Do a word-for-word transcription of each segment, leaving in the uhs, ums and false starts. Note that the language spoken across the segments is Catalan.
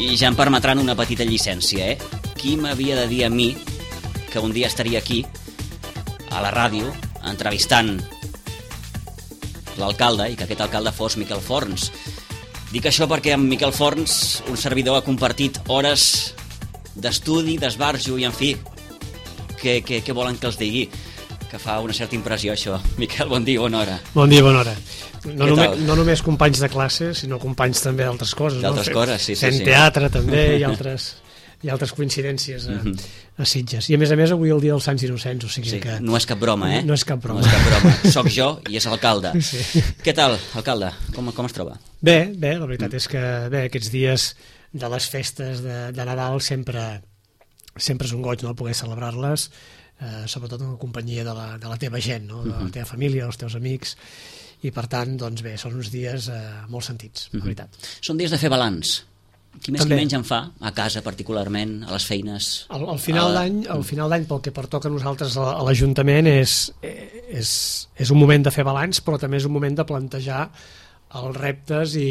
I ja em permetran una petita llicència, eh? Qui m'havia de dir a mi que un dia estaria aquí, a la ràdio, entrevistant l'alcalde, i que aquest alcalde fos Miquel Forns. Dic això perquè amb Miquel Forns, un servidor, ha compartit hores d'estudi, d'esbarjo i, en fi, què, què, què volen que els digui? Que fa una certa impressió, això. Miquel, bon dia, bona hora. Bon dia, bona hora. No, només, no només companys de classe, sinó companys també d'altres coses. D'altres no? coses, sí, sí. Fent sí. teatre, també, i altres, i altres coincidències a, a Sitges. I, a més a més, avui el dia dels Sants Innocents, o sigui sí, que... No és cap broma, eh? No, no és cap broma. No és cap broma. Soc jo i és l'alcalde. Sí. Què tal, alcalde? Com, com es troba? Bé, bé, la veritat és que bé, aquests dies de les festes de, de Nadal sempre, sempre és un goig, no?, poder celebrar-les, eh, sobretot en la companyia de la, de la teva gent, no?, de la teva família, dels teus amics, i per tant, doncs bé, són uns dies eh, molt sentits, la veritat. Són dies de fer balanç. Qui més També. qui menys en fa, a casa particularment, a les feines? Al, al final a... d'any, al final d'any, pel que pertoca a nosaltres a, a l'Ajuntament, és, és, és un moment de fer balanç, però també és un moment de plantejar els reptes i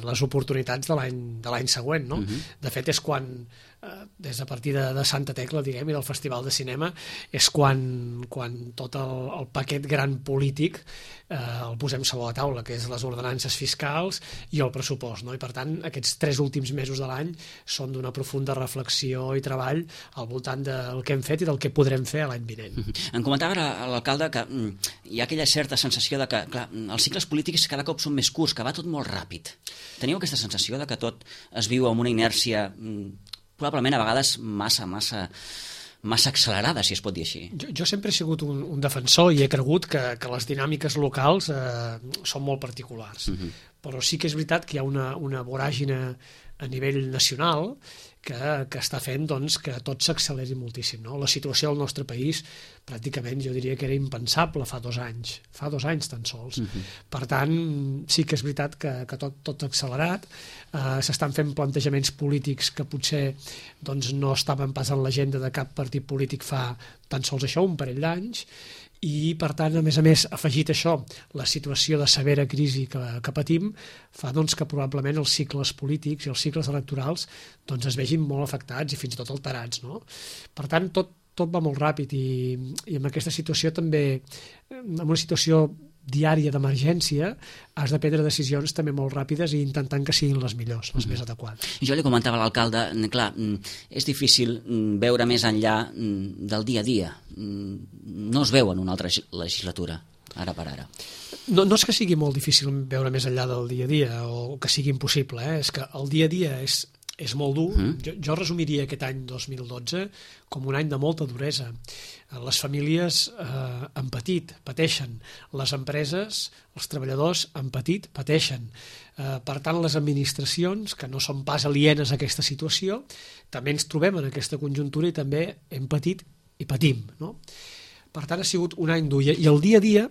les oportunitats de l'any de l'any següent, no? Uh-huh. De fet, és quan, eh, des de partir de, de Santa Tecla, diguem, i del Festival de Cinema, és quan, quan tot el, el paquet gran polític eh, el posem sobre la taula, que és les ordenances fiscals i el pressupost, no? I per tant, aquests tres últims mesos de l'any són d'una profunda reflexió i treball al voltant del que hem fet i del que podrem fer l'any vinent. Uh-huh. Em comentava ara l'alcalde que mm, hi ha aquella certa sensació de que, clar, els cicles polítics cada cop són més curts, que va tot molt ràpid. Teniu aquesta sensació de que tot es viu amb una inèrcia mm, probablement a vegades massa, massa, massa accelerada, si es pot dir així? Jo, jo sempre he sigut un, un defensor i he cregut que, que les dinàmiques locals eh, són molt particulars. Uh-huh. Però sí que és veritat que hi ha una, una voràgine a nivell nacional que, que està fent doncs, que tot s'acceleri moltíssim, no? La situació al nostre país pràcticament jo diria que era impensable fa dos anys, fa dos anys tan sols. Uh-huh. Per tant, sí que és veritat que, que tot, tot accelerat, eh, s'estan fent plantejaments polítics que potser doncs, no estaven pas en l'agenda de cap partit polític fa tan sols això, un parell d'anys, i per tant, a més a més, afegit això, la situació de severa crisi que, que patim fa doncs, que probablement els cicles polítics i els cicles electorals doncs, es vegin molt afectats i fins i tot alterats, no? Per tant, tot, tot va molt ràpid i, i en aquesta situació també, en una situació diària d'emergència, has de prendre decisions també molt ràpides i intentant que siguin les millors, les mm-hmm. més adequades. Jo li comentava a l'alcalde, clar, és difícil veure més enllà del dia a dia. No es veu en una altra legislatura, ara per ara. No, no és que sigui molt difícil veure més enllà del dia a dia o que sigui impossible, eh? És que el dia a dia és, és molt dur. Mm. Jo, jo resumiria aquest any dos mil dotze com un any de molta duresa. Les famílies eh, han patit, pateixen. Les empreses, els treballadors han patit, pateixen. Eh, per tant, les administracions, que no són pas alienes a aquesta situació, també ens trobem en aquesta conjuntura i també hem patit i patim, no? Per tant, ha sigut un any dur. I el dia a dia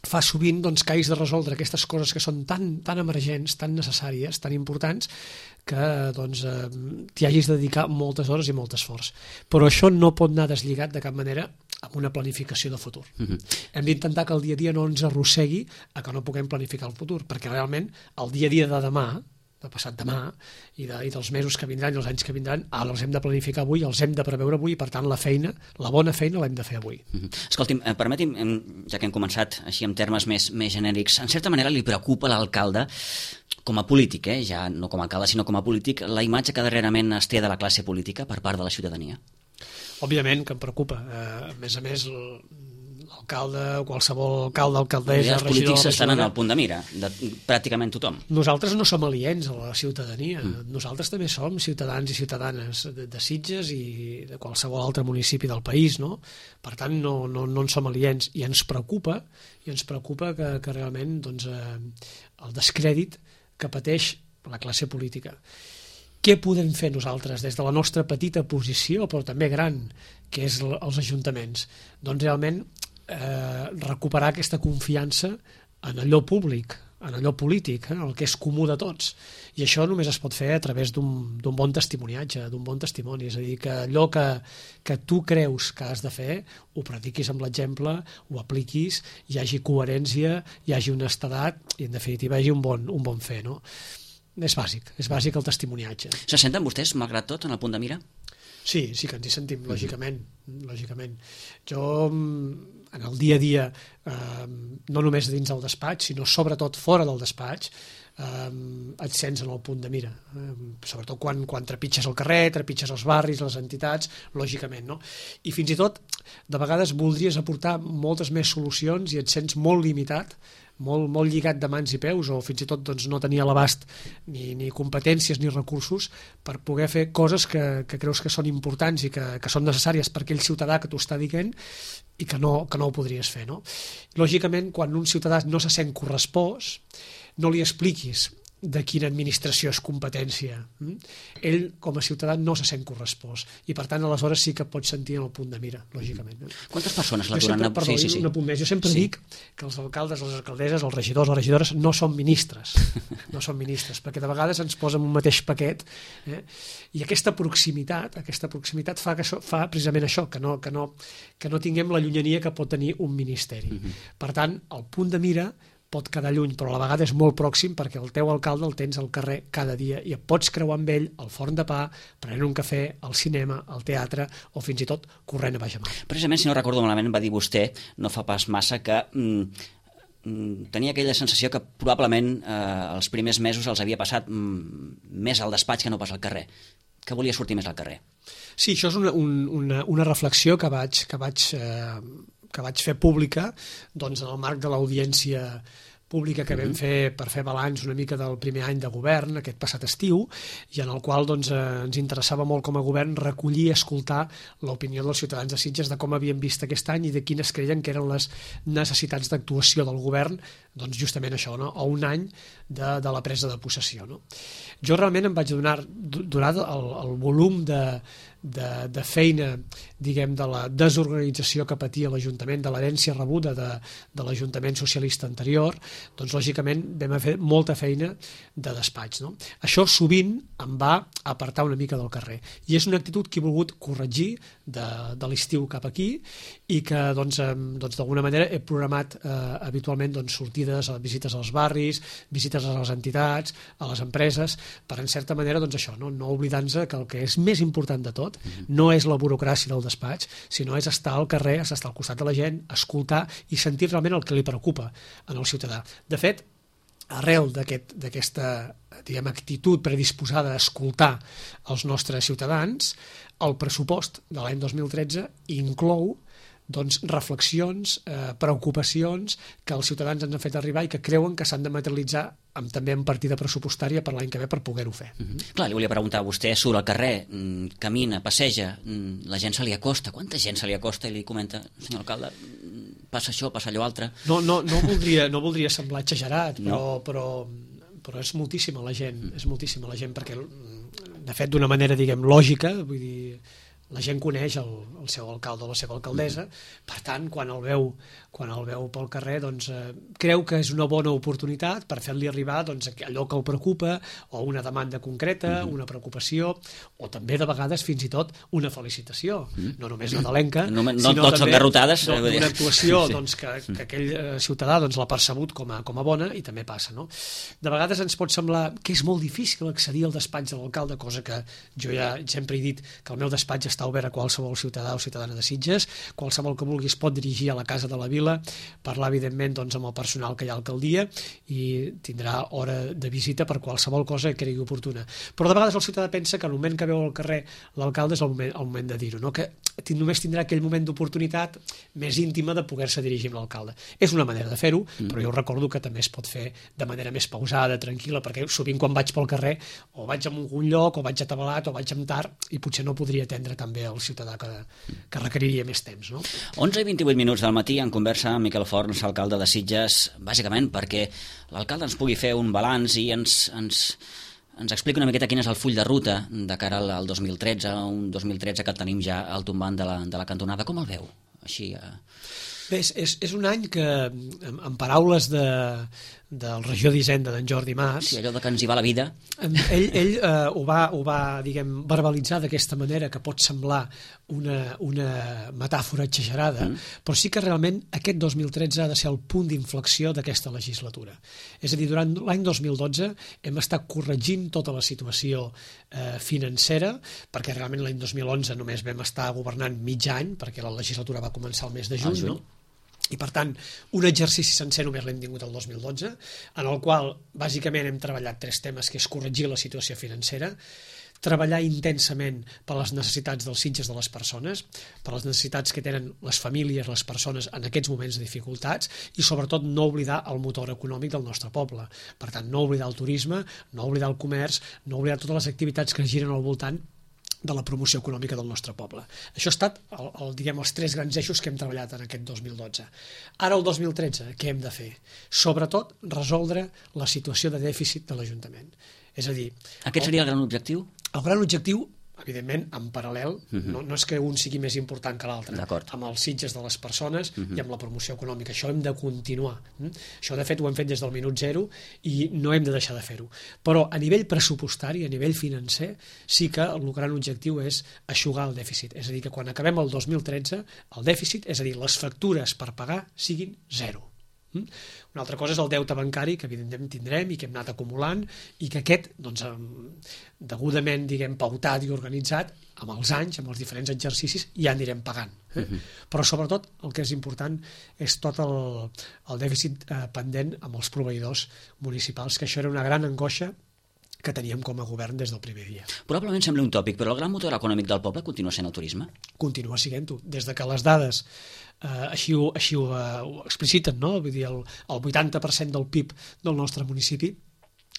fa sovint doncs, que hagis de resoldre aquestes coses que són tan, tan emergents, tan necessàries, tan importants, que doncs, eh, t'hi hagis de dedicar moltes hores i molt esforç. Però això no pot anar deslligat de cap manera amb una planificació de futur. Mm-hmm. Hem d'intentar que el dia a dia no ens arrossegui a que no puguem planificar el futur, perquè realment el dia a dia de demà, de passat demà, i, de, i dels mesos que vindran i els anys que vindran, ara els hem de planificar avui, els hem de preveure avui, i per tant la feina, la bona feina l'hem de fer avui. Mm-hmm. Escolti'm, eh, permeti'm, ja que hem començat així en termes més, més genèrics, en certa manera li preocupa a l'alcalde com a polític, eh? Ja no com a alcalde, sinó com a polític, la imatge que darrerament es té de la classe política per part de la ciutadania? Òbviament que em preocupa. Eh, a més a més, l'alcalde, qualsevol alcalde, alcaldessa, els polítics estan en el punt de mira de pràcticament tothom. Nosaltres no som aliens a la ciutadania. Mm. Nosaltres també som ciutadans i ciutadanes de, de Sitges i de qualsevol altre municipi del país, no? Per tant, no, no, no en som aliens i ens preocupa i ens preocupa que, que realment doncs, eh, el descrèdit que pateix la classe política. Què podem fer nosaltres des de la nostra petita posició, però també gran, que és els ajuntaments? Doncs realment eh, recuperar aquesta confiança en allò públic, en allò polític, eh, el que és comú de tots. I això només es pot fer a través d'un d'un bon testimoniatge, d'un bon testimoni. És a dir, que allò que, que tu creus que has de fer, ho practiquis amb l'exemple, ho apliquis, hi hagi coherència, hi hagi honestedat i, en definitiva, hi hagi un bon, un bon fer, no? és bàsic, és bàsic el testimoniatge. Se senten vostès, malgrat tot, en el punt de mira? Sí, sí que ens hi sentim, lògicament. lògicament. Jo, en el dia a dia, eh, no només dins del despatx, sinó sobretot fora del despatx, eh, et sents en el punt de mira. Eh, sobretot quan, quan trepitges el carrer, trepitges els barris, les entitats, lògicament, no? I fins i tot, de vegades voldries aportar moltes més solucions i et sents molt limitat, molt, molt lligat de mans i peus, o fins i tot doncs, no tenia l'abast ni, ni competències ni recursos per poder fer coses que, que creus que són importants i que, que són necessàries per aquell ciutadà que t'ho està dient i que no, que no ho podries fer, no? Lògicament, quan un ciutadà no se sent correspost, no li expliquis de quina administració és competència. Ell, com a ciutadà, no se sent correspost i, per tant, aleshores sí que pots sentir en el punt de mira, lògicament. Quantes persones l'aturen? Sempre, perdó, sí, sí, sí. Un apunt més. Jo sempre sí. dic que els alcaldes, les alcaldesses, els regidors, les regidores no són ministres, no són ministres, perquè de vegades ens posen un mateix paquet, eh? I aquesta proximitat, aquesta proximitat fa, que això, fa precisament això, que no, que, no, que no tinguem la llunyania que pot tenir un ministeri. Uh-huh. Per tant, el punt de mira pot quedar lluny, però a la vegada és molt pròxim perquè el teu alcalde el tens al carrer cada dia i et pots creuar amb ell al forn de pa, prenent un cafè, al cinema, al teatre o fins i tot corrent a baix a mar. Precisament, si no recordo malament, va dir vostè, no fa pas massa, que mm, mm, tenia aquella sensació que probablement eh, els primers mesos els havia passat mm, més al despatx que no pas al carrer, que volia sortir més al carrer. Sí, això és una, un, una, una reflexió que vaig, que vaig eh, que vaig fer pública doncs, en el marc de l'audiència pública que vam fer per fer balanç una mica del primer any de govern, aquest passat estiu, i en el qual doncs, eh, ens interessava molt com a govern recollir i escoltar l'opinió dels ciutadans de Sitges de com havien vist aquest any i de quines creien que eren les necessitats d'actuació del govern, doncs justament això, no? A un any de, de la presa de possessió. No? Jo realment em vaig donar, donar el, el volum de, de, de feina, diguem, de la desorganització que patia l'Ajuntament, de l'herència rebuda de, de l'Ajuntament socialista anterior, doncs lògicament vam fer molta feina de despatx. No? Això sovint em va apartar una mica del carrer i és una actitud que he volgut corregir de, de l'estiu cap aquí i que doncs, doncs, d'alguna manera he programat eh, habitualment doncs, sortides, visites als barris, visites a les entitats, a les empreses, per en certa manera doncs, això, no, no oblidant-se que el que és més important de tot no és la burocràcia del despatx, sinó és estar al carrer, és estar al costat de la gent, escoltar i sentir realment el que li preocupa en el ciutadà. De fet, arrel d'aquest, d'aquesta diguem, actitud predisposada a escoltar els nostres ciutadans, el pressupost de l'any dos mil tretze inclou doncs, reflexions, eh, preocupacions que els ciutadans ens han fet arribar i que creuen que s'han de materialitzar amb, també en partida pressupostària per l'any que ve per poder-ho fer. Mm-hmm. Clar, li volia preguntar, vostè surt al carrer, camina, passeja, la gent se li acosta, quanta gent se li acosta i li comenta, senyor alcalde, passa això, passa allò altre... No, no, no, voldria, no voldria semblar exagerat, però, no. però, però és moltíssima la gent, mm. és moltíssima la gent, perquè de fet d'una manera, diguem, lògica, vull dir, la gent coneix el, el seu alcalde o la seva alcaldessa, per tant, quan el veu, quan el veu pel carrer, doncs, eh, creu que és una bona oportunitat per fer-li arribar doncs, allò que el preocupa, o una demanda concreta, mm-hmm. una preocupació, o també de vegades fins i tot una felicitació, mm-hmm. no només nadalenca, no, no, sinó tots també garrotades, no, una actuació sí. doncs, que, que aquell eh, ciutadà doncs, l'ha percebut com a, com a bona i també passa. No? De vegades ens pot semblar que és molt difícil accedir al despatx de l'alcalde, cosa que jo ja sempre he dit que el meu despatx està obert a qualsevol ciutadà o ciutadana de Sitges, qualsevol que vulgui es pot dirigir a la Casa de la Vila, parlar evidentment doncs, amb el personal que hi ha a l'alcaldia i tindrà hora de visita per qualsevol cosa que cregui oportuna. Però de vegades el ciutadà pensa que el moment que veu al carrer l'alcalde és el moment, el moment de dir-ho, no? Que només tindrà aquell moment d'oportunitat més íntima de poder-se dirigir amb l'alcalde. És una manera de fer-ho, mm. però jo recordo que també es pot fer de manera més pausada, tranquil·la, perquè sovint quan vaig pel carrer o vaig a algun lloc, o vaig atabalat, o vaig amb tard, i potser no podria atendre també el ciutadà que, que requeriria més temps. No? onze i vint-i-vuit minuts del matí en conversa amb Miquel Forns, alcalde de Sitges, bàsicament perquè l'alcalde ens pugui fer un balanç i ens, ens, ens explica una miqueta quin és el full de ruta de cara al, al dos mil tretze, un dos mil tretze que tenim ja al tombant de la, de la cantonada. Com el veu? Així... Eh... Bé, és, és un any que, en, en paraules de, del regió d'Hisenda d'en Jordi Mas, sí, allò de que ens hi va la vida, ell, ell eh, ho va, ho va diguem, verbalitzar d'aquesta manera, que pot semblar una, una metàfora exagerada, mm. però sí que realment aquest dos mil tretze ha de ser el punt d'inflexió d'aquesta legislatura. És a dir, durant l'any dos mil dotze hem estat corregint tota la situació eh, financera, perquè realment l'any dos mil onze només vam estar governant mig any, perquè la legislatura va començar el mes de juny, no? I per tant, un exercici sencer només l'hem tingut el dos mil dotze, en el qual bàsicament hem treballat tres temes, que és corregir la situació financera, treballar intensament per les necessitats dels Sitges de les persones, per les necessitats que tenen les famílies, les persones en aquests moments de dificultats, i sobretot no oblidar el motor econòmic del nostre poble. Per tant, no oblidar el turisme, no oblidar el comerç, no oblidar totes les activitats que giren al voltant de la promoció econòmica del nostre poble. Això ha estat el, el, diguem, els tres grans eixos que hem treballat en aquest dos mil dotze. Ara, el dos mil tretze, què hem de fer? Sobretot, resoldre la situació de dèficit de l'Ajuntament. És a dir... Aquest seria el gran objectiu? El gran objectiu, evidentment, en paral·lel, uh-huh. no, no és que un sigui més important que l'altre, amb els Sitges de les persones uh-huh. i amb la promoció econòmica. Això hem de continuar. Mm? Això, de fet, ho hem fet des del minut zero i no hem de deixar de fer-ho. Però a nivell pressupostari, a nivell financer, sí que el gran objectiu és eixugar el dèficit. És a dir, que quan acabem el dos mil tretze, el dèficit, és a dir, les factures per pagar, siguin zero. Una altra cosa és el deute bancari, que evidentment tindrem i que hem anat acumulant, i que aquest, doncs, degudament, diguem, pautat i organitzat, amb els anys, amb els diferents exercicis, ja anirem pagant. Eh? Uh-huh. Però sobretot el que és important és tot el, el dèficit eh, pendent amb els proveïdors municipals, que això era una gran angoixa que teníem com a govern des del primer dia. Probablement sembla un tòpic, però el gran motor econòmic del poble continua sent el turisme? Continua sent-ho. Des de que les dades eh, així, ho, així ho, eh, ho expliciten, no? Vull dir, el, el vuitanta per cent del P I B del nostre municipi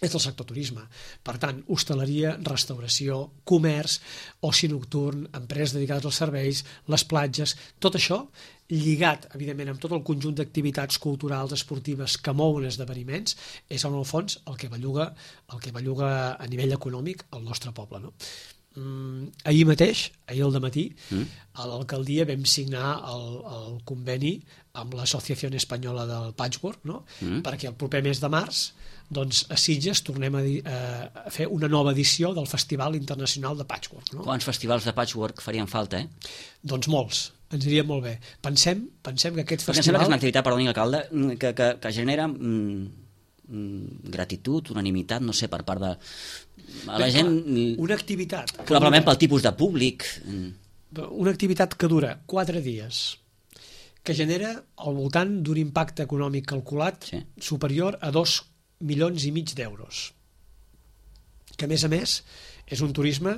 és del sector turisme. Per tant, hostaleria, restauració, comerç, oci nocturn, empreses dedicades als serveis, les platges, tot això lligat, evidentment, amb tot el conjunt d'activitats culturals, esportives que mouen esdeveniments, és en el fons el que belluga, el que belluga a nivell econòmic el nostre poble, no? Mm, ahir mateix, ahir al dematí, mm. a l'alcaldia vam signar el, el conveni amb l'Associació Espanyola del Patchwork, no? mm. perquè el proper mes de març doncs, a Sitges tornem a, di- a fer una nova edició del Festival Internacional de Patchwork. No? Quants festivals de patchwork farien falta, eh? Doncs molts, ens iria molt bé. Pensem, pensem que aquest Perquè festival... em sembla que és una activitat, perdoni, alcalde, que, que, que genera mm, gratitud, unanimitat, no sé, per part de... A la Bé, gent... clar, una activitat... Probablement pel tipus de públic... Una activitat que dura quatre dies, que genera al voltant d'un impacte econòmic calculat sí. superior a dos milions i mig d'euros. Que, a més a més, és un turisme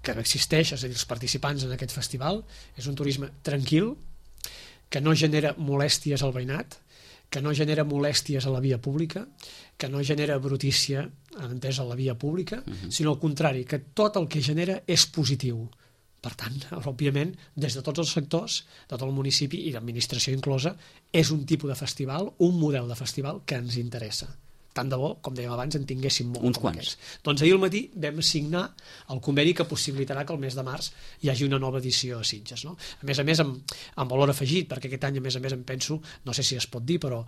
que existeix, és a dir, els participants en aquest festival, és un turisme tranquil, que no genera molèsties al veïnat, que no genera molèsties a la via pública, que no genera brutícia, entès, a la via pública, uh-huh. sinó al contrari, que tot el que genera és positiu. Per tant, òbviament, des de tots els sectors, de tot el municipi i l'administració inclosa, és un tipus de festival, un model de festival que ens interessa. Tant de bo, com dèiem abans, en tinguéssim molt. Uns quants. Aquests. Doncs ahir al matí vam signar el conveni que possibilitarà que el mes de març hi hagi una nova edició a Sitges. No? A més a més, amb, amb valor afegit, perquè aquest any, a més a més, em penso, no sé si es pot dir, però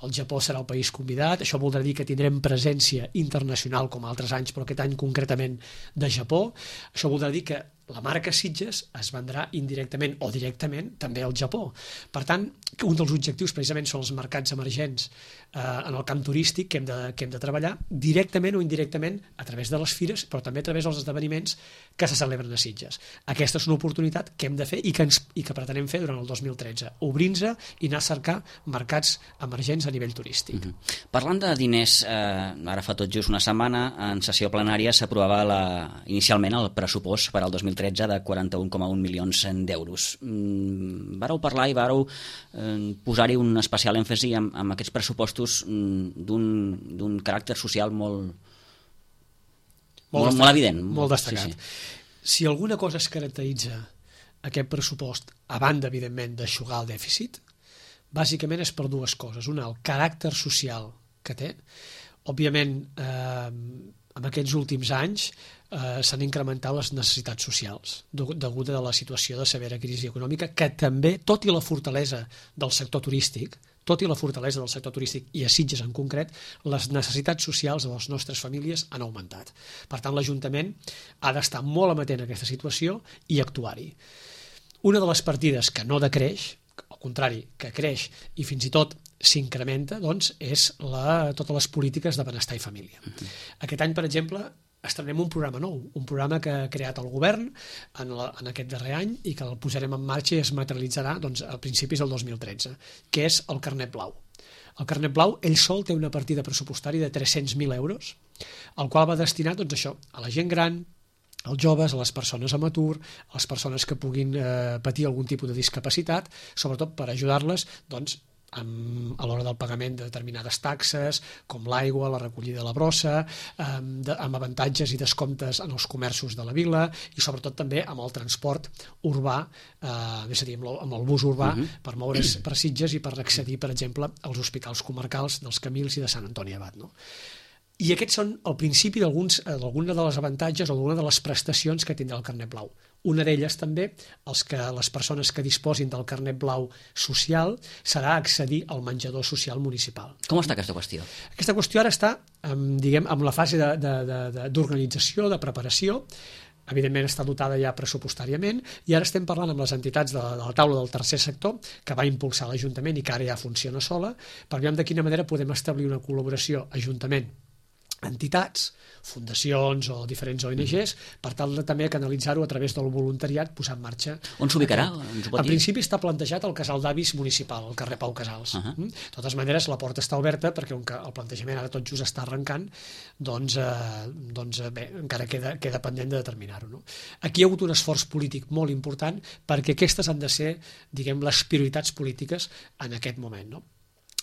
el Japó serà el país convidat, això voldrà dir que tindrem presència internacional com altres anys, però aquest any concretament de Japó. Això voldrà dir que la marca Sitges es vendrà indirectament o directament també al Japó. Per tant, un dels objectius precisament són els mercats emergents eh, en el camp turístic que hem, de, que hem de treballar directament o indirectament a través de les fires, però també a través dels esdeveniments que se celebren a Sitges. Aquesta és una oportunitat que hem de fer i que, ens, i que pretenem fer durant el dos mil tretze, obrir-nos i anar a cercar mercats emergents a nivell turístic. Uh-huh. Parlant de diners, eh, ara fa tot just una setmana, en sessió plenària s'aprovava la, inicialment el pressupost per al dos mil tretze de quaranta-un coma un milions d'euros. Mm, vareu parlar i vareu eh, posar-hi un especial èmfasi amb, amb aquests pressupostos mm, d'un caràcter social molt, molt, molt, molt evident. Molt destacat. Sí, sí. Si alguna cosa es caracteritza aquest pressupost, a banda, evidentment, d'aixugar el dèficit, bàsicament és per dues coses. Una, el caràcter social que té. Òbviament, eh, en aquests últims anys, eh, s'han incrementat les necessitats socials degut a la situació de severa crisi econòmica, que també, tot i la fortalesa del sector turístic, tot i la fortalesa del sector turístic i a Sitges en concret, les necessitats socials de les nostres famílies han augmentat. Per tant, l'Ajuntament ha d'estar molt amatent a aquesta situació i actuar-hi. Una de les partides que no decreix, al contrari, que creix i fins i tot s'incrementa, doncs, és la, totes les polítiques de benestar i família. Uh-huh. Aquest any, per exemple, estrenem un programa nou, un programa que ha creat el govern en, la, en aquest darrer any i que el posarem en marxa i es materialitzarà doncs, a principis del dos mil tretze, que és el Carnet Blau. El Carnet Blau, ell sol, té una partida pressupostària de tres-cents mil euros, el qual va destinat doncs, això, a la gent gran, als joves, a les persones amb atur, a les persones que puguin eh, patir algun tipus de discapacitat, sobretot per ajudar-les doncs, amb, a l'hora del pagament de determinades taxes, com l'aigua, la recollida de la brossa, amb, de, amb avantatges i descomptes en els comerços de la vila i sobretot també amb el transport urbà, eh, és a dir, amb el, amb el bus urbà, uh-huh. per moure's per Sitges i per accedir, per exemple, als hospitals comarcals dels Camils i de Sant Antoni Abat, no? I aquests són el principi d'alguns d'alguna de les avantatges o d'alguna de les prestacions que tindrà el Carnet Blau. Una d'elles també, els que, les persones que disposin del Carnet Blau social, serà accedir al menjador social municipal. Com està aquesta qüestió? Aquesta qüestió ara està, diguem, en la fase de, de, de, de, d'organització, de preparació. Evidentment està dotada ja pressupostàriament i ara estem parlant amb les entitats de, de la taula del tercer sector que va impulsar l'Ajuntament i que ara ja funciona sola, per veure de quina manera podem establir una col·laboració Ajuntament, entitats, fundacions o diferents O N Gs, per tal de també canalitzar-ho a través del voluntariat, posar en marxa. On s'ubicarà? En principi està plantejat al Casal d'Avis Municipal, al carrer Pau Casals. Uh -huh. De totes maneres, la porta està oberta perquè on el plantejament ara tot just està arrencant, doncs, eh, doncs bé, encara queda, queda pendent de determinar-ho. No? Aquí hi ha hagut un esforç polític molt important perquè aquestes han de ser, diguem, les prioritats polítiques en aquest moment, no?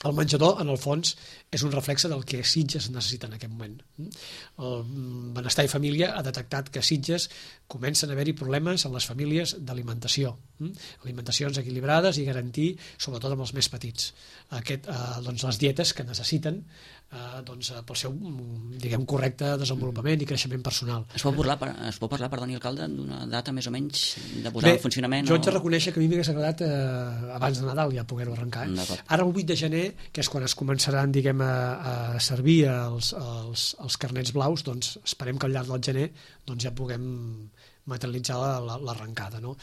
El menjador, en el fons, és un reflexe del que Sitges necessita en aquest moment. El Benestar i Família ha detectat que a Sitges comencen a haver-hi problemes en les famílies d'alimentació. Alimentacions equilibrades i garantir, sobretot amb els més petits, aquest, eh, doncs les dietes que necessiten eh, doncs, pel seu, diguem, correcte desenvolupament i creixement personal. Es pot parlar, es pot parlar perdoni, alcalde, d'una data més o menys de posar Bé, en funcionament? Jo haig de reconèixer que a mi m'hagués agradat eh, abans de Nadal ja poder-ho arrencar. Eh? Ara el vuit de gener, que és quan es començaran, diguem, a, a servir els, els, els carnets blaus, doncs esperem que al llarg del gener doncs, ja puguem materialitzar l'arrencada, no?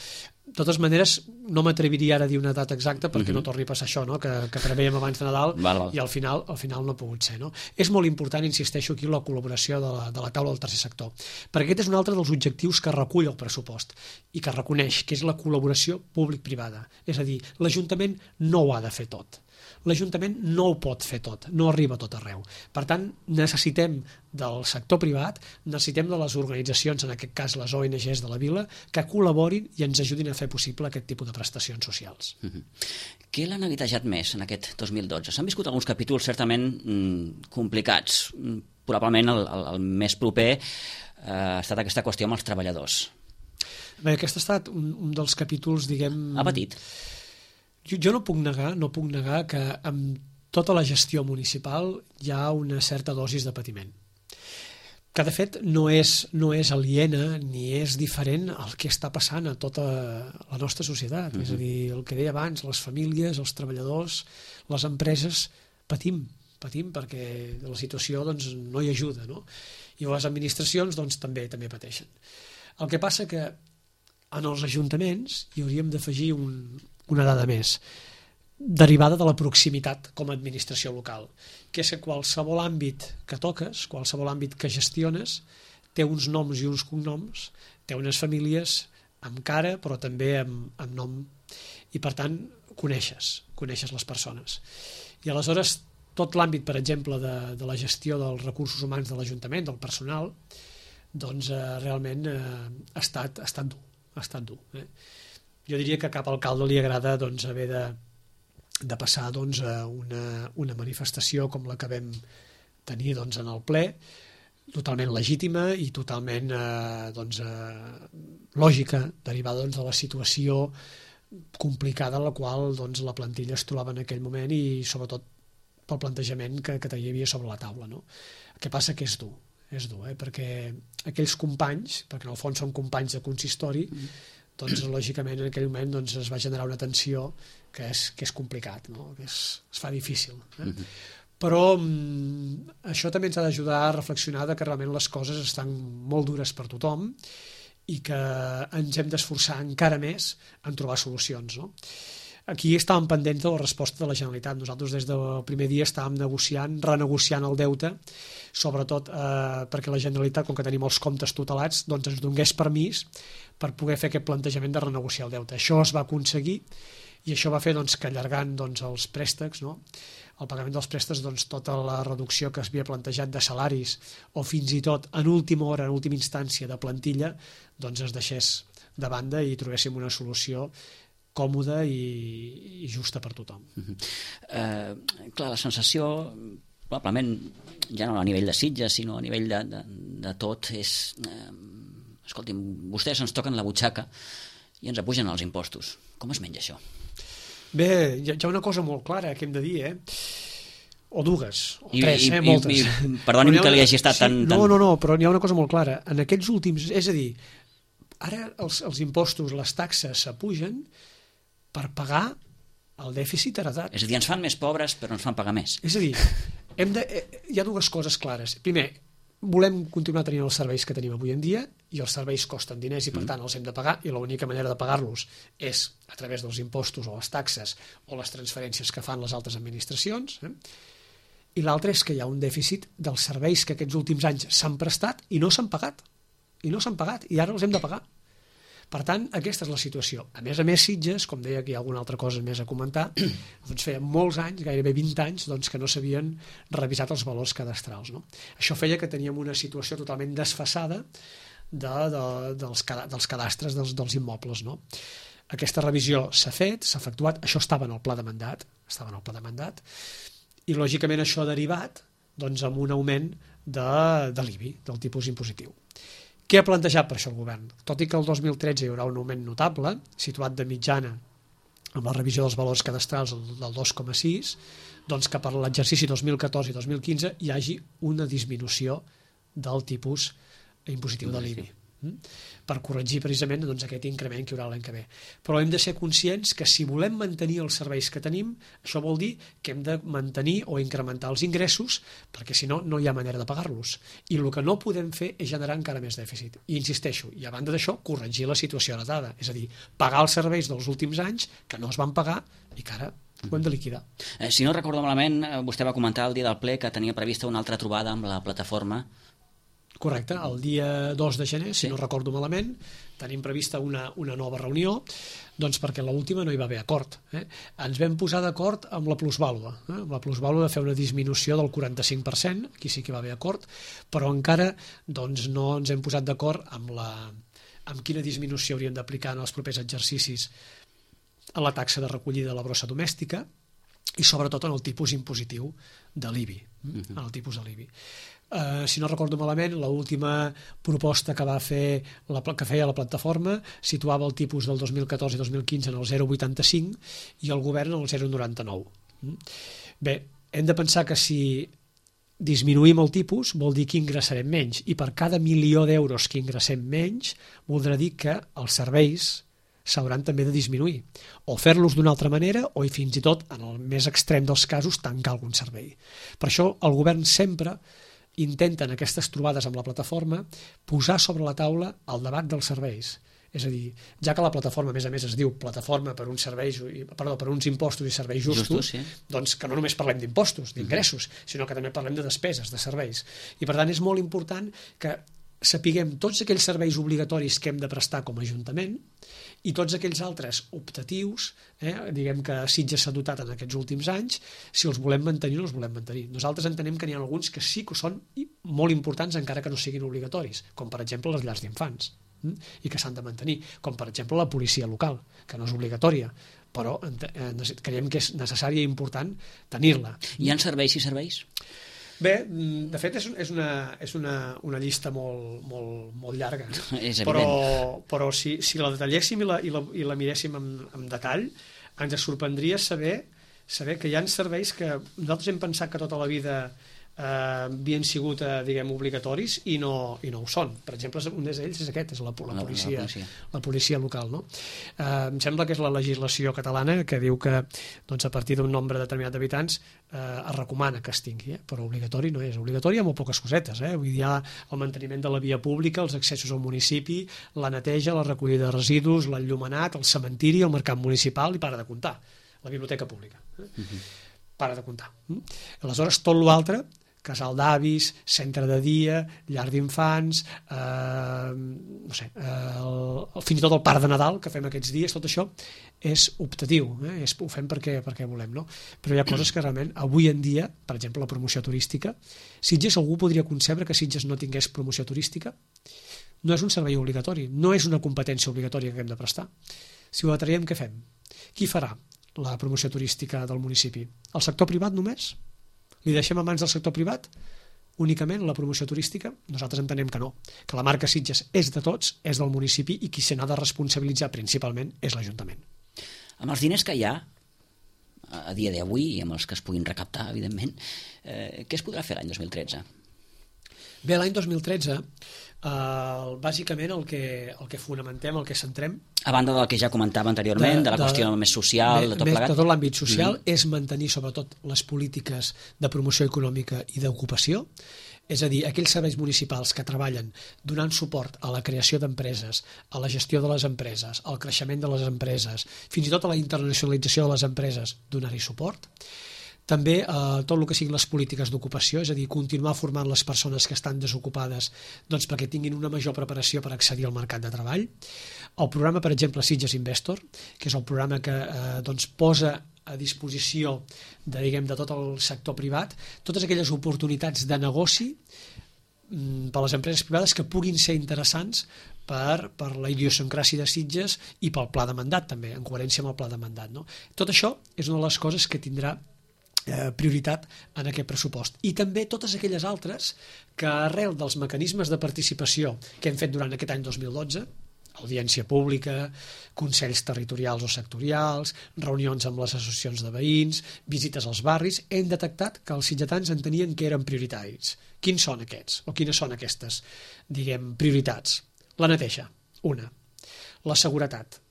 De totes maneres, no m'atreviria ara a dir una data exacta perquè uh-huh. no torni a passar això, no? que, que preveiem abans de Nadal val, val. i al final, al final no ha pogut ser. No? És molt important, insisteixo aquí, la col·laboració de la, de la taula del tercer sector, perquè aquest és un altre dels objectius que recull el pressupost i que reconeix, que és la col·laboració públic-privada. És a dir, l'Ajuntament no ho ha de fer tot. L'Ajuntament no ho pot fer tot, no arriba a tot arreu. Per tant, necessitem del sector privat, necessitem de les organitzacions, en aquest cas les O N Gs de la vila, que col·laborin i ens ajudin a fer possible aquest tipus de prestacions socials. Uh-huh. Què l'han neguitejat més en aquest dos mil dotze? S'han viscut alguns capítols certament mm, complicats. Probablement el, el, el més proper eh, ha estat aquesta qüestió amb els treballadors. Bé, aquest ha estat un, un dels capítols, diguem... Ha patit? Jo, jo no puc negar, no puc negar que amb tota la gestió municipal hi ha una certa dosis de patiment, que de fet no és, no és aliena ni és diferent al que està passant a tota la nostra societat. Uh-huh. És a dir, el que deia abans, les famílies, els treballadors, les empreses, patim, patim perquè la situació doncs, no hi ajuda, no? I les administracions doncs, també també pateixen. El que passa que en els ajuntaments hi hauríem d'afegir un una dada més, derivada de la proximitat com a administració local, que és que qualsevol àmbit que toques, qualsevol àmbit que gestiones, té uns noms i uns cognoms, té unes famílies amb cara, però també amb, amb nom, i per tant coneixes, coneixes les persones. I aleshores tot l'àmbit, per exemple, de, de la gestió dels recursos humans de l'Ajuntament, del personal, doncs eh, realment eh, ha, estat, ha estat dur, ha estat dur, eh? Jo diria que a cap alcalde li agrada doncs, haver de, de passar doncs, una, una manifestació com la que vam tenir doncs, en el ple, totalment legítima i totalment eh, doncs, eh, lògica, derivada doncs, de la situació complicada en la qual doncs, la plantilla es trobava en aquell moment i sobretot pel plantejament que, que hi havia sobre la taula. No? El que passa que és dur, és dur, eh? Perquè aquells companys, perquè en el fons són companys de consistori, doncs lògicament en aquell moment doncs, es va generar una tensió que és, que és complicat, no? Que és, es fa difícil. Eh? Uh-huh. Però mm, això també ens ha d'ajudar a reflexionar de que realment les coses estan molt dures per tothom i que ens hem d'esforçar encara més en trobar solucions, no? Aquí estàvem pendents de la resposta de la Generalitat. Nosaltres des del primer dia estàvem negociant, renegociant el deute, sobretot eh, perquè la Generalitat, com que tenim els comptes tutelats, doncs ens donés permís per poder fer aquest plantejament de renegociar el deute. Això es va aconseguir i això va fer doncs, que allargant doncs, els préstecs, no? El pagament dels préstecs, doncs, tota la reducció que es havia plantejat de salaris o fins i tot en última hora, en última instància de plantilla, doncs es deixés de banda i trobéssim una solució còmoda i, i justa per tothom. Uh-huh. Uh, clar, la sensació, probablement ja no a nivell de Sitges, sinó a nivell de, de, de tot, és... Uh, escolti'm, vostès ens toquen la butxaca i ens apugen els impostos. Com es menja això? Bé, hi ha, hi ha una cosa molt clara que hem de dir, eh? O dues, o I, tres, i, eh? Moltes. I, i, perdoni'm que li hagi estat sí, tan, tan... No, no, no, però n'hi ha una cosa molt clara. En aquests últims... És a dir, ara els, els impostos, les taxes s'apugen per pagar el dèficit heretat. És a dir, ens fan més pobres però ens fan pagar més. És a dir, hem de, hi ha dues coses clares. Primer, volem continuar tenint els serveis que tenim avui en dia i els serveis costen diners i per tant els hem de pagar i l'única manera de pagar-los és a través dels impostos o les taxes o les transferències que fan les altres administracions. Eh? I l'altre és que hi ha un dèficit dels serveis que aquests últims anys s'han prestat i no s'han pagat. I no s'han pagat i ara els hem de pagar. Per tant, aquesta és la situació. A més a més, Sitges, com deia que hi ha alguna altra cosa més a comentar, doncs feia molts anys, gairebé vint anys, doncs, que no s'havien revisat els valors cadastrals. No? Això feia que teníem una situació totalment desfasada de, de, dels, dels cadastres dels, dels immobles. No? Aquesta revisió s'ha fet, s'ha efectuat, això estava en el pla de mandat, estava en el pla de mandat, i lògicament això ha derivat doncs, amb un augment de, de l'I B I, del tipus impositiu. Què ha plantejat per això el govern? Tot i que el dos mil tretze hi haurà un augment notable, situat de mitjana amb la revisió dels valors cadastrals del dos coma sis, doncs que per l'exercici dos mil catorze i dos mil quinze hi hagi una disminució del tipus impositiu de l'I B I. Per corregir precisament doncs, aquest increment que hi haurà l'any que ve. Però hem de ser conscients que si volem mantenir els serveis que tenim, això vol dir que hem de mantenir o incrementar els ingressos, perquè si no, no hi ha manera de pagar-los. I el que no podem fer és generar encara més dèficit. I insisteixo, i a banda d'això, corregir la situació heretada, és a dir, pagar els serveis dels últims anys que no es van pagar i que ara ho hem de liquidar. Eh, si no recordo malament, vostè va comentar el dia del ple que tenia prevista una altra trobada amb la plataforma. Correcte, el dia dos de gener, si sí. no recordo malament, tenim prevista una, una nova reunió, doncs perquè l'última no hi va haver acord. Eh? Ens vam posar d'acord amb la plusvàlua, eh? amb la plusvàlua de fer una disminució del quaranta-cinc per cent, aquí sí que hi va haver acord, però encara doncs, no ens hem posat d'acord amb, la, amb quina disminució hauríem d'aplicar en els propers exercicis a la taxa de recollida de la brossa domèstica i sobretot en el tipus impositiu de l'I B I, uh-huh. en el tipus de l'I B I. Uh, si no recordo malament, l'última proposta que va fer la, que feia la plataforma situava el tipus del dos mil catorze i dos mil quinze en el zero coma vuitanta-cinc i el govern en el zero coma noranta-nou. Bé, hem de pensar que si disminuïm el tipus vol dir que ingressarem menys i per cada milió d'euros que ingressem menys voldrà dir que els serveis s'hauran també de disminuir o fer-los d'una altra manera o fins i tot, en el més extrem dels casos, tancar algun servei. Per això el govern sempre intenten aquestes trobades amb la plataforma posar sobre la taula el debat dels serveis. És a dir, ja que la plataforma a més a més es diu plataforma per uns serveis, perdó, per uns impostos i serveis justos, justos sí. doncs que no només parlem d'impostos, d'ingressos, uh-huh. sinó que també parlem de despeses, de serveis. I per tant és molt important que sapiguem tots aquells serveis obligatoris que hem de prestar com a Ajuntament i tots aquells altres optatius, eh, diguem que Sitges s'ha dotat en aquests últims anys, si els volem mantenir o no els volem mantenir. Nosaltres entenem que n'hi ha alguns que sí que són molt importants encara que no siguin obligatoris, com per exemple les llars d'infants, hm? i que s'han de mantenir, com per exemple la policia local, que no és obligatòria, però eh, creiem que és necessari i important tenir-la. Hi ha serveis i serveis? Bé, de fet és, és, una, és una, una llista molt, molt, molt llarga, és però, però si, si la detalléssim i la, i la, i la miréssim amb, amb detall, ens sorprendria saber, saber que hi ha serveis que nosaltres hem pensat que tota la vida eh, havien sigut, eh, diguem, obligatoris i no, i no ho són. Per exemple, un d'ells és aquest, és la, la, policia, la, policia. la policia local. No? Eh, em sembla que és la legislació catalana que diu que doncs, a partir d'un nombre determinat d'habitants eh, es recomana que es tingui, eh? Però obligatori no és. Obligatori hi ha molt poques cosetes. Eh? Vull dir, hi ha el manteniment de la via pública, els accessos al municipi, la neteja, la recollida de residus, l'enllumenat, el cementiri, el mercat municipal i para de comptar. La biblioteca pública. Eh? Uh-huh. Para de comptar. Mm? Aleshores, tot l'altre, casal d'avis, centre de dia, llar d'infants, eh, no sé, eh, el, fins i tot el parc de Nadal que fem aquests dies, tot això és optatiu, eh? és, ho fem perquè, perquè volem, no? Però hi ha coses que realment avui en dia, per exemple, la promoció turística, Sitges, algú podria concebre que Sitges no tingués promoció turística? No és un servei obligatori, no és una competència obligatòria que hem de prestar. Si ho atraiem, què fem? Qui farà la promoció turística del municipi? El sector privat només? Li deixem a mans del sector privat únicament la promoció turística? Nosaltres entenem que no, que la marca Sitges és de tots, és del municipi i qui se n'ha de responsabilitzar principalment és l'Ajuntament. Amb els diners que hi ha a dia d'avui i amb els que es puguin recaptar, evidentment, eh, què es podrà fer l'any dos mil tretze? Bé, l'any dos mil tretze, eh, bàsicament el que, el que fonamentem, el que centrem... A banda del que ja comentava anteriorment, de, de la de, qüestió més social, de, de tot més, plegat? De tot l'àmbit social, mm. és mantenir sobretot les polítiques de promoció econòmica i d'ocupació, és a dir, aquells serveis municipals que treballen donant suport a la creació d'empreses, a la gestió de les empreses, al creixement de les empreses, fins i tot a la internacionalització de les empreses, donar-hi suport. També eh, tot el que siguin les polítiques d'ocupació, és a dir, continuar formant les persones que estan desocupades doncs, perquè tinguin una major preparació per accedir al mercat de treball. El programa, per exemple, Sitges Investor, que és el programa que eh, doncs, posa a disposició de, diguem, de tot el sector privat totes aquelles oportunitats de negoci mm, per a les empreses privades que puguin ser interessants per, per la idiosincràsia de Sitges i pel pla de mandat també, en coherència amb el pla de mandat. No? Tot això és una de les coses que tindrà Eh, prioritat en aquest pressupost. I també totes aquelles altres que arrel dels mecanismes de participació que hem fet durant aquest any dos mil dotze, audiència pública, consells territorials o sectorials, reunions amb les associacions de veïns, visites als barris, hem detectat que els sitgetans entenien que eren prioritaris. Quins són aquests? O quines són aquestes, diguem, prioritats? La neteja, una. La seguretat.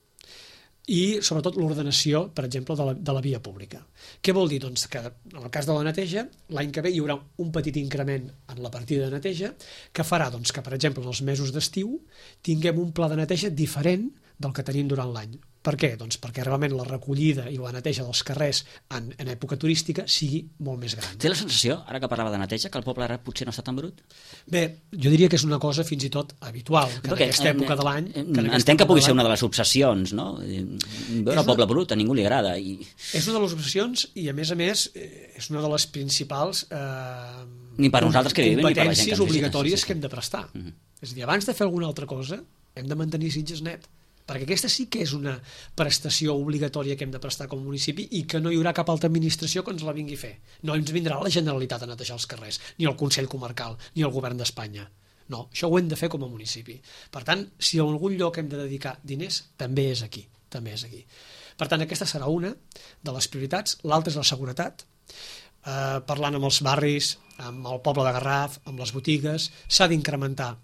I sobretot l'ordenació, per exemple, de la, de la via pública. Què vol dir? Doncs que en el cas de la neteja, l'any que ve hi haurà un petit increment en la partida de neteja que farà doncs, que, per exemple, en els mesos d'estiu tinguem un pla de neteja diferent del que tenim durant l'any. Per què? Doncs perquè realment la recollida i la neteja dels carrers en, en època turística sigui molt més gran. Té la sensació, ara que parlava de neteja, que el poble ara potser no està tan brut? Bé, jo diria que és una cosa fins i tot habitual, que perquè, en aquesta època de l'any... Entenc que pugui ser una de les obsessions, no? Veure el poble brut, a ningú li agrada. I... És una de les obsessions i, a més a més, és una de les principals eh, ni per nosaltres que vivim, competències ni per la gent que obligatòries sí, sí. que hem de prestar. Uh -huh. És a dir, abans de fer alguna altra cosa, hem de mantenir Sitges net. Perquè aquesta sí que és una prestació obligatòria que hem de prestar com a municipi i que no hi haurà cap altra administració que ens la vingui a fer. No ens vindrà la Generalitat a netejar els carrers, ni el Consell Comarcal, ni el Govern d'Espanya. No, això ho hem de fer com a municipi. Per tant, si a algun lloc hem de dedicar diners, també és aquí. També és aquí. Per tant, aquesta serà una de les prioritats. L'altra és la seguretat. Eh, parlant amb els barris, amb el poble de Garraf, amb les botigues, s'ha d'incrementar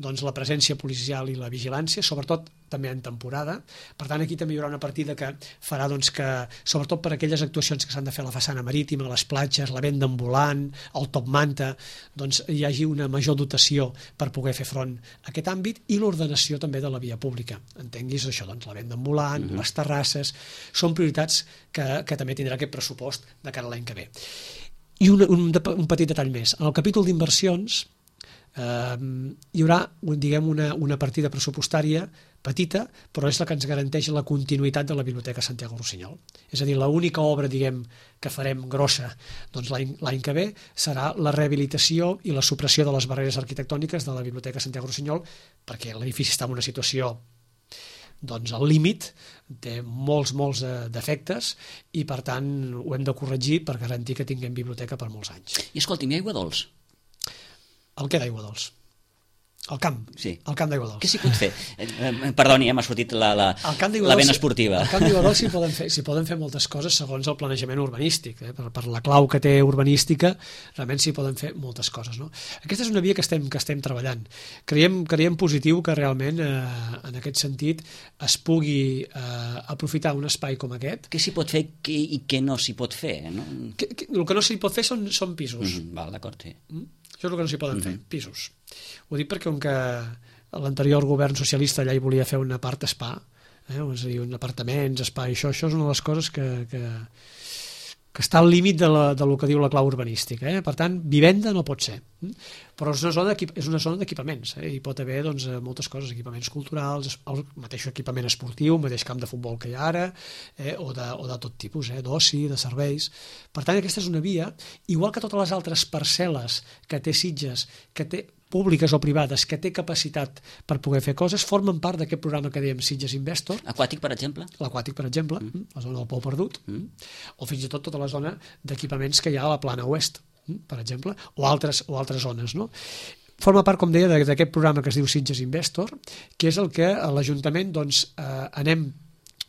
doncs, la presència policial i la vigilància, sobretot també en temporada. Per tant, aquí també hi haurà una partida que farà doncs, que, sobretot per aquelles actuacions que s'han de fer a la façana marítima, les platges, la venda ambulant, el top manta, doncs hi hagi una major dotació per poder fer front a aquest àmbit i l'ordenació també de la via pública. Entenguis això, doncs, la venda ambulant, uh-huh. les terrasses, són prioritats que, que també tindrà aquest pressupost de cara a l'any que ve. I un, un, un petit detall més. En el capítol d'inversions eh, hi haurà, diguem, una, una partida pressupostària petita, però és la que ens garanteix la continuïtat de la Biblioteca Santiago Rossinyol. És a dir, l'única obra, diguem, que farem grossa doncs, l'any que ve serà la rehabilitació i la supressió de les barreres arquitectòniques de la Biblioteca Santiago Rossinyol, perquè l'edifici està en una situació doncs al límit, té molts, molts eh, defectes i per tant ho hem de corregir per garantir que tinguem biblioteca per molts anys. I escolti'm, hi ha aigua dolç? El què d'aigua dolç? El camp, sí. el camp d'Aigua Dols. Què s'hi pot fer? Eh, perdoni, ja m'ha sortit la, la, la vena esportiva. Al camp d'Aigua Dols s'hi poden, fer, s'hi poden fer moltes coses segons el planejament urbanístic. Eh? Per, per la clau que té urbanística, realment s'hi poden fer moltes coses. No? Aquesta és una via que estem, que estem treballant. Creiem, creiem positiu que realment, eh, en aquest sentit, es pugui eh, aprofitar un espai com aquest. Què s'hi pot fer i què no s'hi pot fer? No? Que, que, el que no s'hi pot fer són, són pisos. Mm, val, d'acord, sí. Mm? Això és el que no s'hi poden mm-hmm. fer, pisos. Ho dic perquè com que l'anterior govern socialista allà hi volia fer una part spa, eh? és a dir, un apartaments, spa, i això, això és una de les coses que, que, que està al límit de, la, de lo que diu la clau urbanística. Eh? Per tant, vivenda no pot ser. Però és una zona, és una zona d'equipaments. Eh? Hi pot haver doncs, moltes coses, equipaments culturals, el mateix equipament esportiu, el mateix camp de futbol que hi ha ara, eh? o, de, o de tot tipus, eh? d'oci, de serveis. Per tant, aquesta és una via, igual que totes les altres parcel·les que té Sitges, que té públiques o privades, que té capacitat per poder fer coses, formen part d'aquest programa que dèiem Sitges Investor. Aquàtic, per exemple? L'aquàtic, per exemple, mm. la zona del Pou Perdut, mm. o fins i tot tota la zona d'equipaments que hi ha a la Plana Oest, per exemple, o altres, o altres zones, no? Forma part, com deia, d'aquest programa que es diu Sitges Investor, que és el que a l'Ajuntament doncs, eh, anem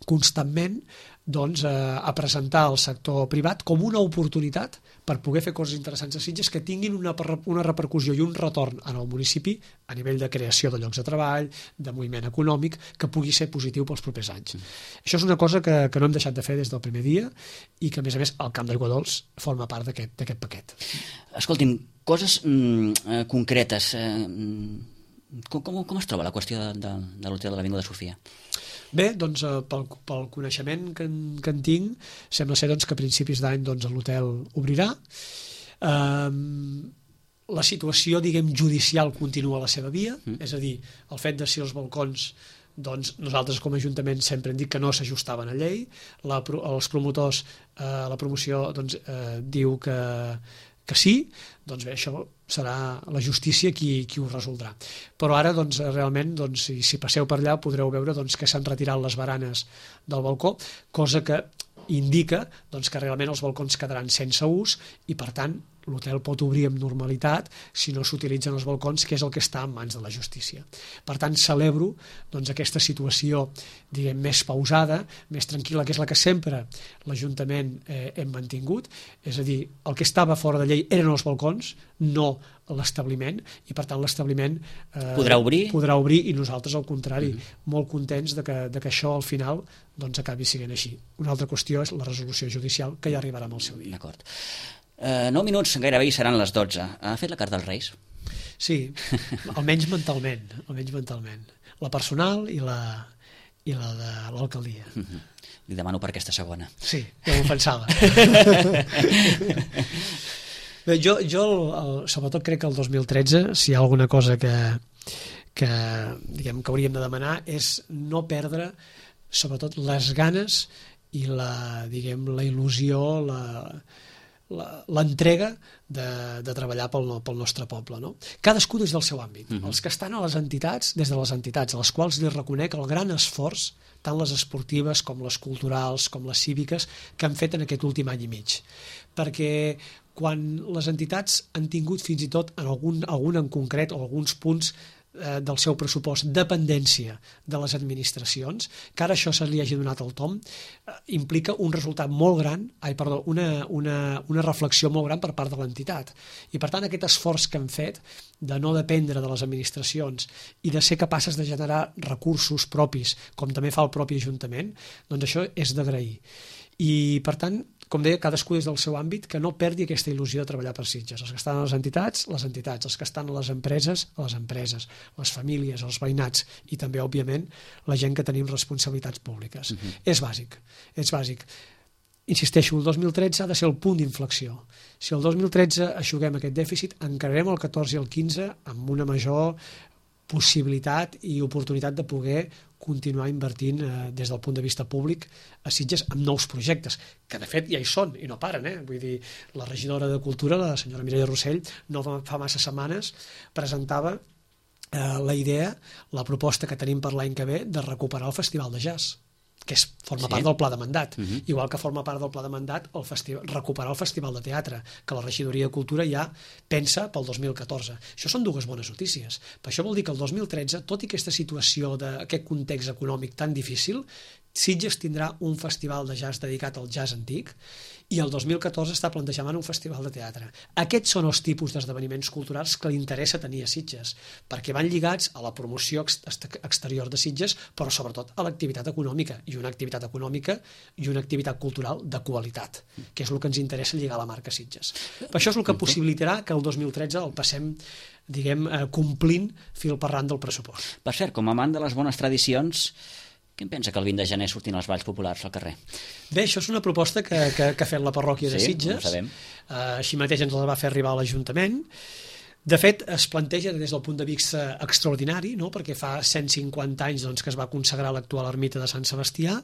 constantment doncs, eh, a presentar al sector privat com una oportunitat per poder fer coses interessants a Sitges que tinguin una, una repercussió i un retorn en el municipi a nivell de creació de llocs de treball, de moviment econòmic, que pugui ser positiu pels propers anys. Mm. Això és una cosa que, que no hem deixat de fer des del primer dia i que, a més a més, el Camp d'Aigua Dols forma part d'aquest paquet. Escolti'm, coses mm, concretes. Eh, com, com, com es troba la qüestió de, de, de l'hotel de l'Avinguda Sofia? Bé, doncs, pel, pel coneixement que en, que en tinc, sembla ser doncs, que a principis d'any doncs, l'hotel obrirà. Um, la situació, diguem, judicial continua la seva via, mm. és a dir, el fet de si els balcons, doncs, nosaltres com a Ajuntament sempre hem dit que no s'ajustaven a llei, la, els promotors, eh, la promoció doncs, eh, diu que, que sí, doncs bé, això serà la justícia qui, qui ho resoldrà. Però ara, doncs, realment, doncs, si, si passeu per allà podreu veure doncs, que s'han retirat les baranes del balcó, cosa que indica doncs, que realment els balcons quedaran sense ús i, per tant, l'hotel pot obrir amb normalitat si no s'utilitzen els balcons, que és el que està en mans de la justícia. Per tant, celebro doncs, aquesta situació, diguem, més pausada, més tranquil·la, que és la que sempre l'Ajuntament eh, hem mantingut, és a dir, el que estava fora de llei eren els balcons, no l'establiment, i per tant l'establiment eh, podrà obrir podrà obrir i nosaltres al contrari, mm-hmm. molt contents de que, de que això al final doncs, acabi sent així. Una altra qüestió és la resolució judicial, que ja arribarà amb el seu dia. D'acord. Uh, nou minuts gairebé hi seran les dotze. Ha fet la carta als Reis? Sí, almenys mentalment, almenys mentalment. La personal i la, i la de l'alcaldia. Mm-hmm. Li demano per aquesta segona. Sí, ja m'ho pensava. Bé, jo, jo el, sobretot crec que el dos mil tretze, si hi ha alguna cosa que, que, diguem, que hauríem de demanar, és no perdre sobretot les ganes i la, diguem, la il·lusió, la, l'entrega de, de treballar pel, pel nostre poble. No? Cadascú des del seu àmbit. Uh-huh. Els que estan a les entitats, des de les entitats, a les quals li reconec el gran esforç, tant les esportives com les culturals, com les cíviques, que han fet en aquest últim any i mig. Perquè quan les entitats han tingut fins i tot en algun, algun en concret o alguns punts eh, del seu pressupost dependència de les administracions, que ara això se li hagi donat el tom, eh, implica un resultat molt gran, ai, perdó, una, una, una reflexió molt gran per part de l'entitat. I per tant aquest esforç que han fet de no dependre de les administracions i de ser capaces de generar recursos propis, com també fa el propi Ajuntament, doncs això és d'agrair. I per tant, com deia, cadascú des del seu àmbit, que no perdi aquesta il·lusió de treballar per Sitges. Els que estan a les entitats, les entitats. Els que estan a les empreses, a les empreses. Les famílies, els veïnats i també, òbviament, la gent que tenim responsabilitats públiques. Uh-huh. És bàsic, és bàsic. Insisteixo, el dos mil tretze ha de ser el punt d'inflexió. Si el dos mil tretze aixuguem aquest dèficit, encararem el catorze i el quinze amb una major possibilitat i oportunitat de poder continuar invertint eh, des del punt de vista públic a Sitges amb nous projectes, que de fet ja hi són i no paren. Eh? Vull dir, la regidora de Cultura, la senyora Mireia Rossell, no fa massa setmanes presentava eh, la idea, la proposta que tenim per l'any que ve de recuperar el Festival de Jazz. que és, forma Sí. part del pla de mandat. Mhm. Igual que forma part del pla de mandat el festival, recuperar el Festival de Teatre, que la Regidoria de Cultura ja pensa pel dos mil catorze. Això són dues bones notícies. Per això vol dir que el dos mil tretze, tot i aquesta situació d'aquest context econòmic tan difícil, Sitges tindrà un festival de jazz dedicat al jazz antic i el dos mil catorze està plantejant un festival de teatre. Aquests són els tipus d'esdeveniments culturals que li interessa tenir a Sitges, perquè van lligats a la promoció ex exterior de Sitges, però sobretot a l'activitat econòmica, i una activitat econòmica i una activitat cultural de qualitat, que és el que ens interessa lligar a la marca Sitges. Per això és el que possibilitarà que el dos mil tretze el passem diguem, eh, complint fil per ran del pressupost. Per cert, com a amant de les bones tradicions, què em pensa que el vint de gener surtin els balls populars al carrer? Bé, això és una proposta que, que, que ha fet la parròquia de Sí, Sitges. ho sabem. Uh, així mateix ens la va fer arribar a l'Ajuntament. De fet, es planteja des del punt de vista extraordinari, no? Perquè fa cent cinquanta anys doncs, que es va consagrar l'actual ermita de Sant Sebastià,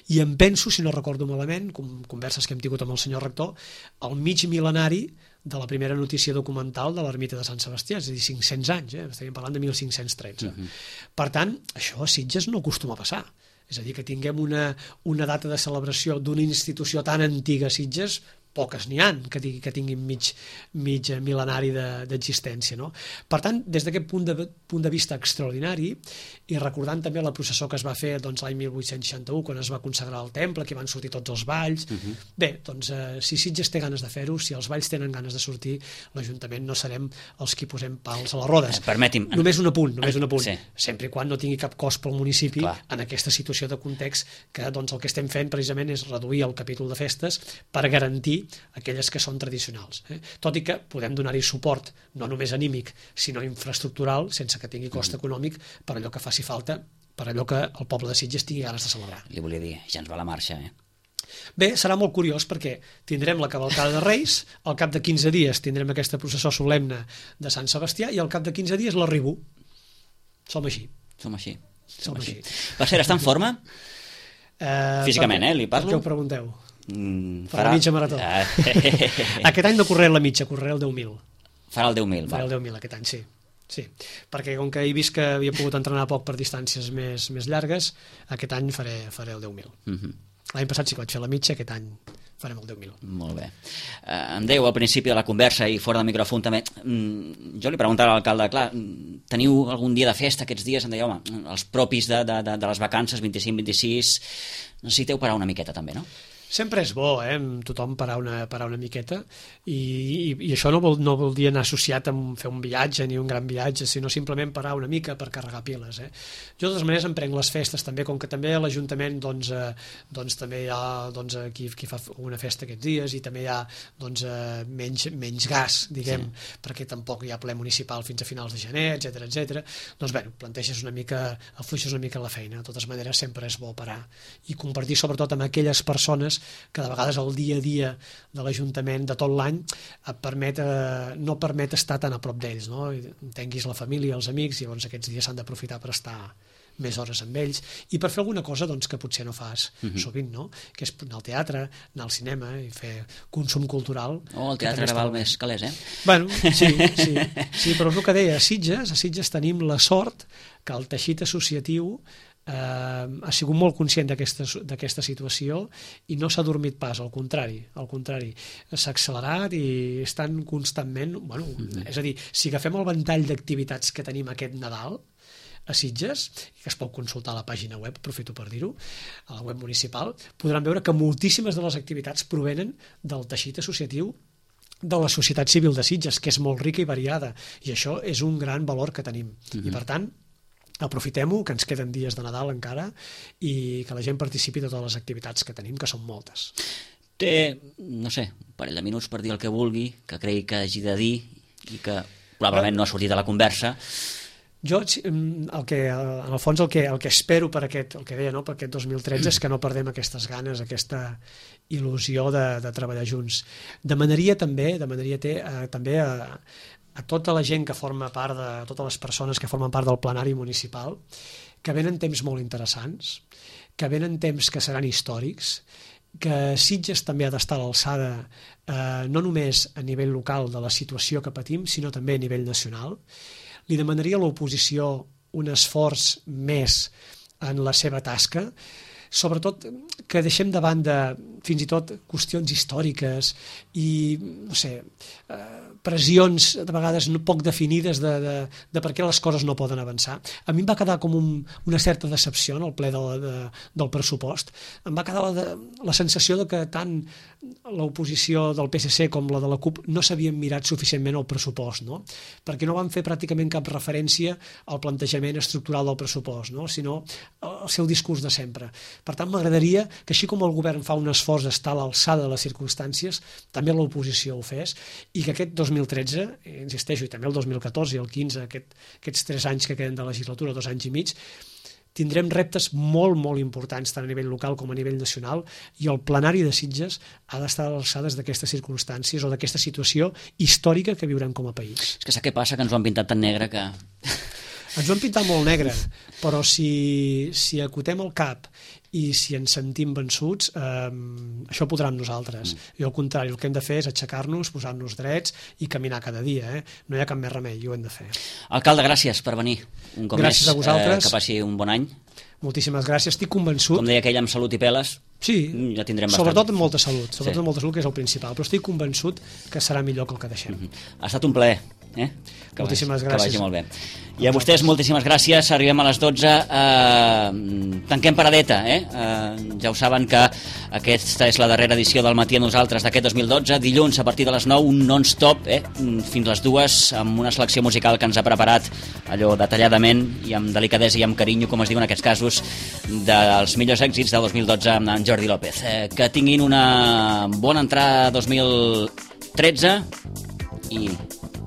i em penso, si no recordo malament, com converses que hem tingut amb el senyor rector, el mig mil·lenari de la primera notícia documental de l'ermita de Sant Sebastià, és a dir, cinc-cents anys, eh? Estaríem parlant de mil cinc-cents tretze. Uh -huh. Per tant, això a Sitges no acostuma a passar. És a dir, que tinguem una, una data de celebració d'una institució tan antiga a Sitges, poques n'hi ha que, que tinguin mig, mig mil·lenari d'existència. No? Per tant, des d'aquest punt, de, punt de vista extraordinari, i recordant també la processó que es va fer doncs, l'any mil vuit-cents seixanta-u, quan es va consagrar el temple, que van sortir tots els balls, uh -huh. bé, doncs eh, si Sitges té ganes de fer-ho, si els balls tenen ganes de sortir, l'Ajuntament no serem els qui posem pals a les rodes. Eh, permeti'm. Només un apunt, només un apunt. Sí. Sempre i quan no tingui cap cost pel municipi. Clar. En aquesta situació de context que doncs, el que estem fent precisament és reduir el capítol de festes per garantir aquelles que són tradicionals. Eh? Tot i que podem donar-hi suport, no només anímic, sinó infraestructural, sense que tingui cost econòmic, per allò que faci falta, per allò que el poble de Sitges tingui ganes de celebrar. Li volia dir, ja ens va la marxa, eh? Bé, serà molt curiós perquè tindrem la cavalcada de Reis, al cap de quinze dies tindrem aquesta processó solemne de Sant Sebastià i al cap de quinze dies l'arribo. Som així. Som així. Som així. Per cert, està en forma? Eh, Físicament, per, eh? Li parlo? Per què ho pregunteu? Mm, Per la mitja marató. Ah. Aquest any no correré la mitja, correré el deu mil. Farà el deu mil. Faré el deu mil aquest any, sí. Sí, perquè com que he vist que havia pogut entrenar poc per distàncies més, més llargues, aquest any faré, faré el deu mil. Uh -huh. L'any passat sí que vaig fer la mitja, aquest any farem el deu mil. Molt bé. Uh, em dèieu al principi de la conversa i fora del micròfon també, mm, jo li preguntava a l'alcalde, clar, teniu algun dia de festa aquests dies? Em deia, home, els propis de, de, de, de les vacances, vint-i-cinc vint-i-sis, necessiteu parar una miqueta també, no? Sempre és bo, eh, tothom parar una, parar una miqueta i, i, i això no vol, no vol dir anar associat amb fer un viatge ni un gran viatge, sinó simplement parar una mica per carregar piles. Eh. Jo de totes maneres em prenc les festes també, com que també a l'Ajuntament doncs, eh, doncs, també hi ha doncs, qui, qui fa una festa aquests dies i també hi ha doncs, eh, menys, menys gas, diguem, sí. perquè tampoc hi ha ple municipal fins a finals de gener, etcètera etcètera. Doncs bé, planteges una mica, afluixes una mica la feina. De totes maneres sempre és bo parar i compartir sobretot amb aquelles persones que de vegades el dia a dia de l'Ajuntament de tot l'any et permet, eh, no permet estar tan a prop d'ells, no? Entenguis la família, els amics, i llavors aquests dies s'han d'aprofitar per estar més hores amb ells i per fer alguna cosa doncs, que potser no fas uh-huh. sovint, no? Que és anar al teatre, anar al cinema i fer consum cultural. Oh, el teatre ara val més calés, eh? Bueno, sí, sí, sí, però és el que deia, a Sitges, a Sitges tenim la sort que el teixit associatiu Eh, ha sigut molt conscient d'aquesta situació i no s'ha dormit pas, al contrari, al contrari, s'ha accelerat i estan constantment, bueno, mm-hmm. és a dir, si agafem el ventall d'activitats que tenim aquest Nadal a Sitges, que es pot consultar a la pàgina web, aprofito per dir-ho, a la web municipal, podran veure que moltíssimes de les activitats provenen del teixit associatiu de la societat civil de Sitges, que és molt rica i variada, i això és un gran valor que tenim. Mm-hmm. I per tant, aprofitem-ho, que ens queden dies de Nadal encara i que la gent participi de totes les activitats que tenim, que són moltes. Té, no sé, un parell de minuts per dir el que vulgui, que cregui que hagi de dir i que probablement no ha sortit de la conversa. Jo, el que, en el fons, el que, el que espero per aquest, el que deia, no, per aquest dos mil tretze és que no perdem aquestes ganes, aquesta il·lusió de, de treballar junts. Demanaria també, demanaria té, eh, també a a tota la gent que forma part de, totes les persones que formen part del plenari municipal, que venen temps molt interessants, que venen temps que seran històrics, que Sitges també ha d'estar a l'alçada eh, no només a nivell local de la situació que patim, sinó també a nivell nacional. Li demanaria a l'oposició un esforç més en la seva tasca. sobretot que deixem de banda fins i tot qüestions històriques i, no sé, pressions de vegades poc definides de, de, de per què les coses no poden avançar. A mi em va quedar com un, una certa decepció en el ple de, de, del pressupost. Em va quedar la, de, la sensació de que tant l'oposició del P S C com la de la CUP no s'havien mirat suficientment el pressupost, no? Perquè no van fer pràcticament cap referència al plantejament estructural del pressupost, no? Sinó el seu discurs de sempre. Per tant, m'agradaria que així com el govern fa un esforç d'estar a l'alçada de les circumstàncies, també l'oposició ho fes, i que aquest dos mil tretze, insisteixo, i també el dos mil catorze i el quinze, aquest, aquests tres anys que queden de legislatura, dos anys i mig, tindrem reptes molt, molt importants tant a nivell local com a nivell nacional, i el plenari de Sitges ha d'estar a l'alçada d'aquestes circumstàncies o d'aquesta situació històrica que viurem com a país. És que sap què passa? Que ens ho han pintat tan negre que... Ens ho han pintat molt negre, però si, si acotem el cap i si ens sentim vençuts, eh, això ho podrà amb nosaltres. Mm. I al contrari, el que hem de fer és aixecar-nos, posar-nos drets i caminar cada dia. Eh? No hi ha cap més remei, i ho hem de fer. Alcalde, gràcies per venir un cop gràcies més. A vosaltres. Eh, que passi un bon any. Moltíssimes gràcies, estic convençut... Com deia aquell, amb salut i peles, sí, ja tindrem bastant. Sobretot amb molta salut, sobretot sí. amb molta salut, que és el principal, però estic convençut que serà millor que el que deixem. Mm-hmm. Ha estat un plaer. Eh? Que moltíssimes vagi, gràcies. Que vagi molt bé. I a vostès, moltíssimes gràcies. Arribem a les dotze. Eh, tanquem paradeta. Eh? Eh, ja ho saben que aquesta és la darrera edició del Matí a Nosaltres d'aquest dos mil dotze. Dilluns, a partir de les nou, un non-stop, eh? fins les dues, amb una selecció musical que ens ha preparat allò detalladament i amb delicadesa i amb carinyo, com es diu en aquests casos, dels millors èxits del dos mil dotze amb en Jordi López. Eh, que tinguin una bona entrada dos mil tretze i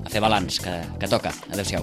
a fer balanç, que, que toca. Adéu-siau.